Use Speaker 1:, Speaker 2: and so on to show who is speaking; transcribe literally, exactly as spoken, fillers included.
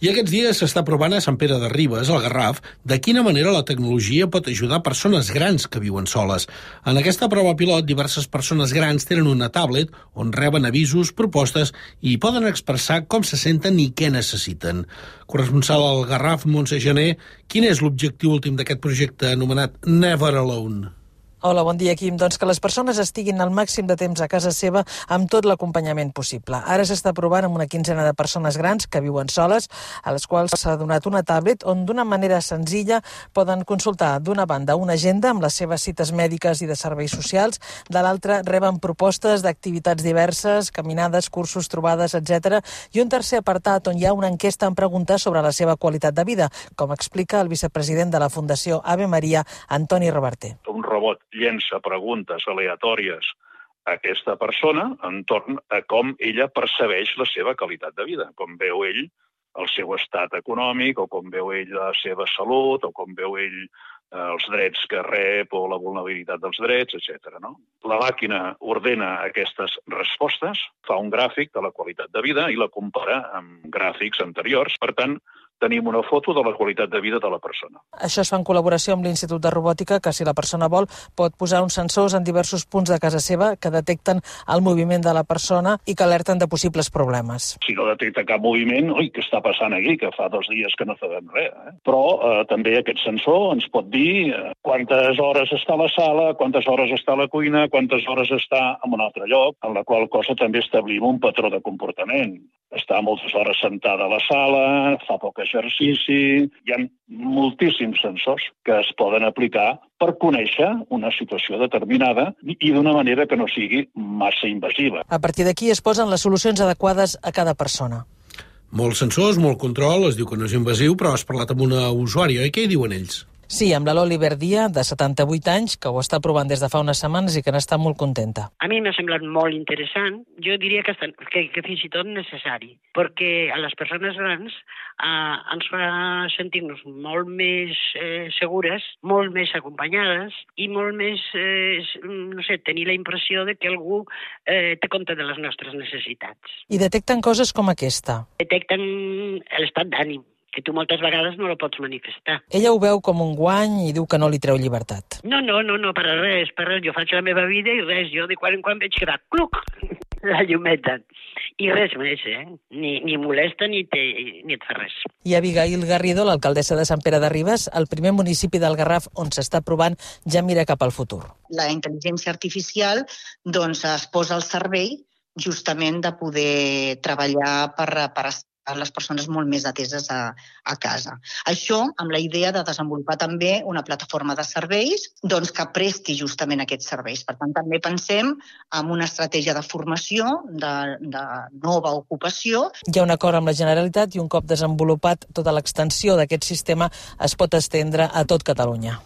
Speaker 1: I aquests dies s'està provant a Sant Pere de Ribes, al Garraf, de quina manera la tecnologia pot ajudar persones grans que viuen soles. En aquesta prova pilot, diverses persones grans tenen una tablet on reben avisos, propostes i poden expressar com se senten i què necessiten. Corresponsal al Garraf, Montse Gené, quin és l'objectiu últim d'aquest projecte anomenat Never Alone?
Speaker 2: Hola, bon dia, Quim. Doncs que les persones estiguin al màxim de temps a casa seva amb tot l'acompanyament possible. Ara s'està provant amb una quinzena de persones grans que viuen soles, a les quals s'ha donat una tablet on d'una manera senzilla poden consultar d'una banda una agenda amb les seves cites mèdiques i de serveis socials, de l'altra reben propostes d'activitats diverses, caminades, cursos, trobades, etcètera, i un tercer apartat on hi ha una enquesta amb preguntes sobre la seva qualitat de vida, com explica el vicepresident de la Fundació Ave Maria, Antoni Reverter.
Speaker 3: Un robot llença preguntes aleatòries a aquesta persona entorn a com ella percebeix la seva qualitat de vida, com veu ell el seu estat econòmic, o com veu ell la seva salut, o com veu ell els drets que rep o la vulnerabilitat dels drets, etcètera. No? La màquina ordena aquestes respostes, fa un gràfic de la qualitat de vida i la compara amb gràfics anteriors. Per tant, tenim una foto de la qualitat de vida de la persona.
Speaker 2: Això es fa en col·laboració amb l'Institut de Robòtica, que si la persona vol pot posar uns sensors en diversos punts de casa seva que detecten el moviment de la persona i que alerten de possibles problemes.
Speaker 3: Si no detecta cap moviment, oi, què està passant aquí? Que fa dos dies que no sabem res. Eh? Però eh, també aquest sensor ens pot dir eh, quantes hores està a la sala, quantes hores està a la cuina, quantes hores està en un altre lloc, en la qual cosa també establim un patró de comportament. Està moltes hores sentada a la sala, fa poc exercici. Hi ha moltíssims sensors que es poden aplicar per conèixer una situació determinada i d'una manera que no sigui massa invasiva.
Speaker 2: A partir d'aquí es posen les solucions adequades a cada persona.
Speaker 1: Molts sensors, molt control, es diu que no és invasiu, però has parlat amb una usuària, i què hi diuen ells?
Speaker 2: Sí, amb la l'Oliver Dia, de setanta-vuit anys, que ho està provant des de fa unes setmanes i que n'està molt contenta.
Speaker 4: A mi m'ha semblat molt interessant, jo diria que, que, que fins i tot necessari, perquè a les persones grans eh, ens fa sentir-nos molt més eh, segures, molt més acompanyades i molt més, eh, no sé, tenir la impressió de que algú eh, té compte de les nostres necessitats.
Speaker 2: I detecten coses com aquesta.
Speaker 4: Detecten l'estat d'ànim, que tu moltes vegades no la pots manifestar.
Speaker 2: Ella ho veu com un guany i diu que no li treu llibertat.
Speaker 4: No, no, no, no, per res, per res. Jo faig la meva vida i res, jo de quan en quan veig que va, cluc, la llumeta. I res més, eh? Ni, ni molesta ni, te, ni et fa res.
Speaker 2: I Abigail Garrido, l'alcaldessa de Sant Pere de Ribes, el primer municipi del Garraf on s'està provant, ja mira cap al futur.
Speaker 5: La intel·ligència artificial doncs, es posa al servei justament de poder treballar per, per les persones molt més ateses a, a casa. Això amb la idea de desenvolupar també una plataforma de serveis doncs, que presti justament aquests serveis. Per tant, també pensem en una estratègia de formació, de, de nova ocupació.
Speaker 2: Hi ha un acord amb la Generalitat i un cop desenvolupat tota l'extensió d'aquest sistema es pot estendre a tot Catalunya.